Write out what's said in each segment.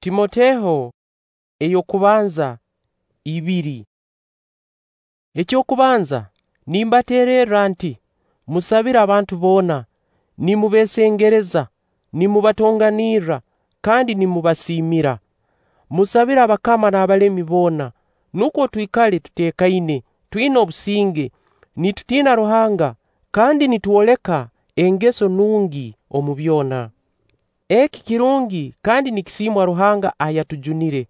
Timoteho ey'okubanza 2. Eky'okubanza nimbateererra nti: Musabire abantu boona, nimubeesengereza, nimubatonganirra, kandi nimubasiimira. Musabire abakama n'abalemi boona, nukwo twikale tuteekaine, twina obusinge, nitutiina Ruhanga, kandi nitwoleka engeso nungi omu byona. Eki kirungi kandi nikisiimwa Ruhanga ayatujunire,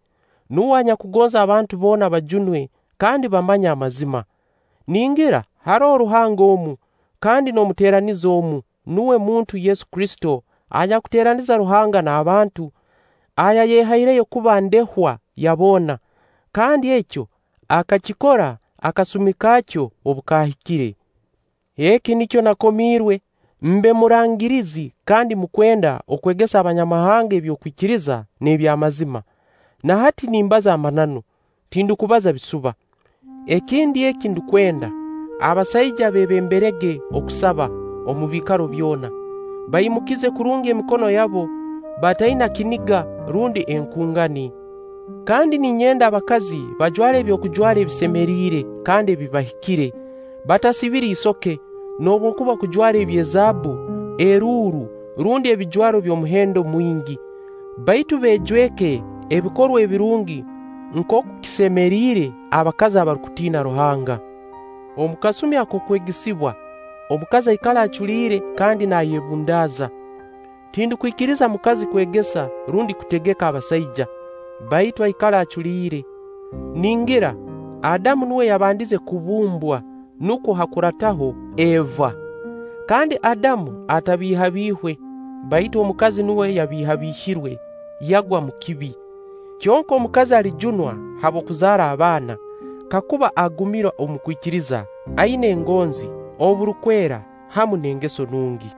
nuwe anyakugonza abantu boona bajunwe kandi bamanye amazima. Ningira haroho Ruhanga omu, kandi n'omuteeraniza omu, nuwe muntu Yesu Kristo anyakuteeraniza Ruhanga n'abantu, ayayehaireyo kuba ndehwa ya boona, kandi ekyo akakikora akasumi kaakyo obu kaahikire. Eki nikyo nakomiirwe, mbe murangirizi kandi mukwenda okwegesa Abanyamahanga eby'okwikiriza n'eby'amazima. Na hati nimbaza amananu, tindukubaza bisuba. Ekindi eki ndukwenda, abasaija beebemberege okusaba omu biikaro byona, baimukize kurungi emikono yabo, bataina kiniga rundi enkungani. Kandi ninyenda abakazi bajware ebyokujwara ebisemeriire kandi ebibahikire, batasibire isoke, noobwokuba kujwara eby'ezaabbu, eruuru, rundi ebijwaro by'omuhendo mwingi, baitu beejweke ebikorwa ebirungi nkooku kisemeriire abakazi abarukutiina Ruhanga. Omu kasumi ak'okwegesibwa, omukazi aikale aculiire kandi naayebundaaza. Tindukwikiriza mukazi kwegesa rundi kutegeka abasaija, baitu aikale aculiire. Ningira Adamu nuwe yabandize kubumbwa, nukwo hakurataho Eva. Kandi Adamu atabiihabiihwe, baitu omukazi nuwe yabiihabiihirwe, yagwa mu kibi. Kyonka omukazi alijunwa habw'okuzaara abaana, kakuba agumira omu kwikiriza, aina engonzi, oburukwera hamu n'engeso nungi.